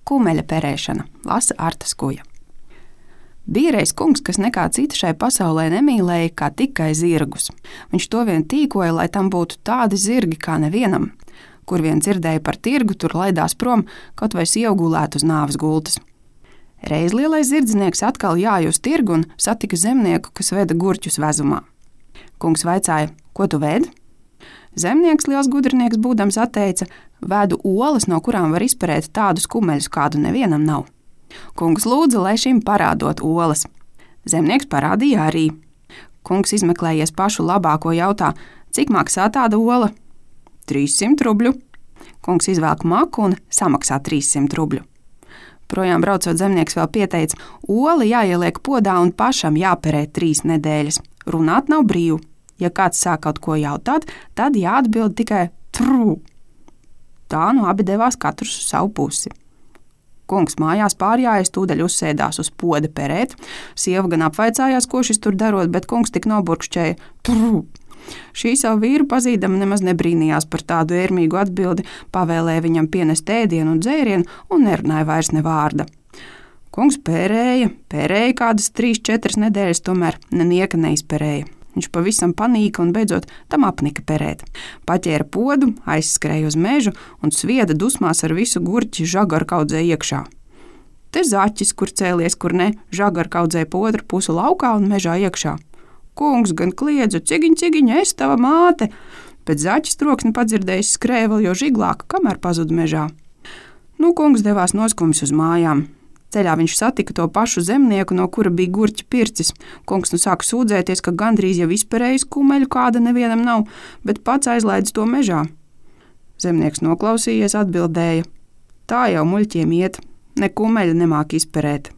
Kumeļa perēšana, lasa Arta Skuja. Bija reiz kungs, kas nekā cita šai pasaulē nemīlēja, kā tikai zirgus. Viņš to vien tīkoja, lai tam būtu tādi zirgi kā nevienam. Kur vien dzirdēja par tirgu, tur laidās prom, kaut vai iegulēt uz nāves gultas. Reiz lielais zirdznieks atkal jāja uz tirgu un satika zemnieku, kas veda gurķus vezumā. Kungs vaicāja, ko tu vēdi? Zemnieks, liels gudrinieks būdams, atteica, vedu olas, no kurām var izperēt tādus kumeļus, kādu nevienam nav. Kungs lūdza, lai šim parādot olas. Zemnieks parādīja arī. Kungs izmeklējies pašu labāko jautā, cik maksā tāda ola? 300 rubļu. Kungs izvelk maku un samaksā 300 rubļu. Projām braucot, zemnieks vēl pieteica, ola jāieliek podā un pašam jāperē 3 nedēļas. Runāt nav brīvu. Ja kāds sāk kaut ko jautāt, tad jāatbild tikai trū. Tā nu abi devās katrs uz savu pusi. Kungs mājās pārjājas, tūdaļ uzsēdās uz poda perēt. Sieva gan apvaicājās, ko šis tur darot, bet kungs tik noburkšķēja trū. Šī savu vīru pazīdama nemaz nebrīnījās par tādu ērmīgu atbildi, pavēlēja viņam pienest ēdienu un dzērienu un nerunāja vairs ne vārda. Kungs pērēja kādas 3-4 nedēļas, tomēr nenieka neizperēja. Viņš pavisam panīka un beidzot tam apnika perēt. Paķēra podu, aizskrēja uz mežu un svieda dusmās ar visu gurķi žagarkaudzē iekšā. Te zaķis, kur cēlies, kur ne, žagarkaudzē pa otru pusu laukā un mežā iekšā. Kungs gan kliedza, cigiņ, es tava māte, bet zaķis troksni padzirdējis skrēja vēl jo žiglāk, kamēr pazuda mežā. Kungs devās noskumis uz mājām. Ceļā viņš satika to pašu zemnieku, no kura bija gurķi pircis. Kungs sāka sūdzēties, ka gandrīz jau izperējis kumeļu, kāda nevienam nav, bet pats aizlaidz to mežā. Zemnieks noklausījies, atbildēja, tā jau muļķiem iet, ne kumeļu nemāk izperēt.